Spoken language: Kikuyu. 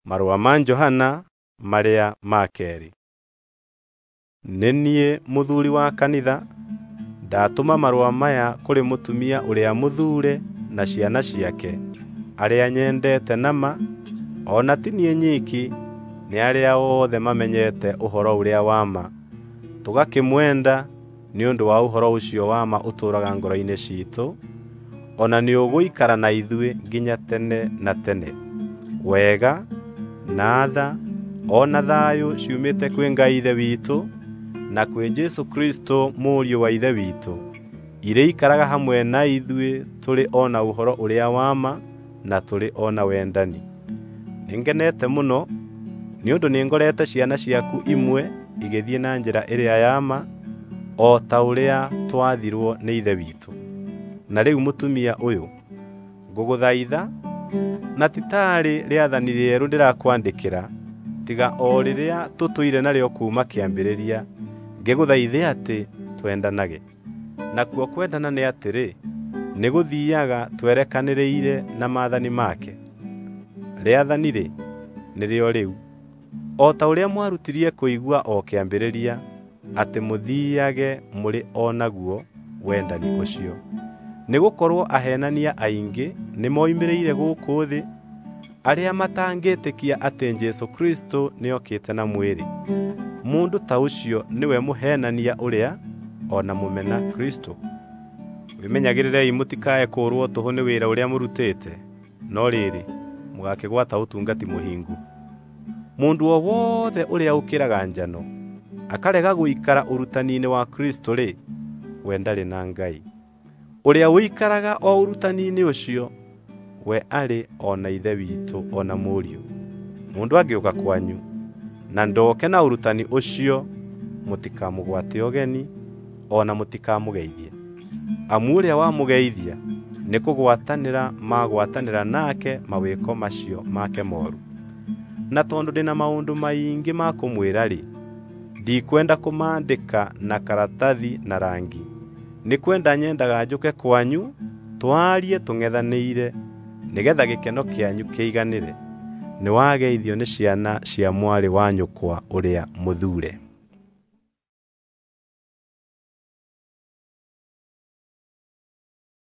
Marũa ma Johana marĩa ma keerĩ. Nĩ niĩ mũthuuri wa kanitha, ndatũma marũa maya kũrĩ mũtumia ũrĩa mũthuure na ciana ciake, arĩa nyendete na ma, o na ti niĩ nyiki, nĩ arĩa othe mamenyete ũhoro ũrĩa wa ma, tũgakĩmwenda nĩ ũndũ wa ũhoro ũcio wa ma ũtũũraga ngoro-inĩ ciitũ, o na nĩũgũikara na ithuĩ nginya tene na tene. Wega, na tha, o na thayũ ciumĩte kwĩ Ngai Ithe witũ na kwĩ Jesũ Kristũ Mũriũ wa Ithe witũ, irĩikaraga hamwe na ithuĩ tũrĩ o na ũhoro ũrĩa wa ma na tũrĩ o na wendani. Nĩngenete mũno nĩ ũndũ nĩngorete ciana ciaku imwe igĩthiĩ na njĩra ĩrĩa ya ma, o ta ũrĩa twathirwo nĩ Ithe witũ. Na rĩu mũtumia ũyũ, ngũgũthaitha na ti taarĩ rĩathani rĩerũ ndĩrakwandĩkĩra, tiga o rĩrĩa tũtũire narĩo kuuma kĩambĩrĩria, ngĩgũthaithe atĩ twendanage. Nakuo kwendana nĩ atĩrĩ, nĩ gũthiiaga twerekanĩrĩire na maathani make. Rĩathani-rĩ, nĩrĩo rĩu, o ta ũrĩa mwarutirie kũigua o kĩambĩrĩria, atĩ mũthiiage mũrĩ o naguo wendani ũcio. Nĩgũkorwo aheenania aingĩ nĩmoimĩrĩire gũkũ thĩ, arĩa matangĩtĩkia atĩ Jesũ Kristũ nĩokĩte na mwĩrĩ. Mũndũ ta ũcio nĩwe mũheenania ũrĩa o na mũmena Kristũ. Wĩmenyagĩrĩrei mũtikae kũũrwo tũhũ nĩ wĩra ũrĩa mũrutĩte, no rĩrĩ, mũgaakĩgwata ũtungati mũhingu. Mũndũ o wothe ũrĩa ũkĩraga njano, akarega gũikara ũrutani-inĩ wa Kristũ-rĩ, we ndarĩ na Ngai. Ũrĩa ũikaraga o ũrutani-inĩ ũcio, we arĩ o na Ithe witũ o na Mũriũ. Mũndũ angĩũka kwanyu na ndoke na ũrutani ũcio, mũtikamũgwate ũgeni o na mũtikamũgeithie. Amu ũrĩa wamũgeithia nĩkũgwatanĩra magwatanĩra nake mawĩko macio make mooru. Na tondũ ndĩ na maũndũ maingĩ ma kũmwĩra-rĩ, ndikwenda kũmaandĩka na karatathi na rangi. Nĩ kwenda nyendaga njũke kwanyu twarie tũng'ethanĩire nĩgetha gĩkeno kĩanyu kĩiganĩre. Nĩwageithio nĩ ciana cia mwarĩ wa nyũkwa ũrĩa mũthuure.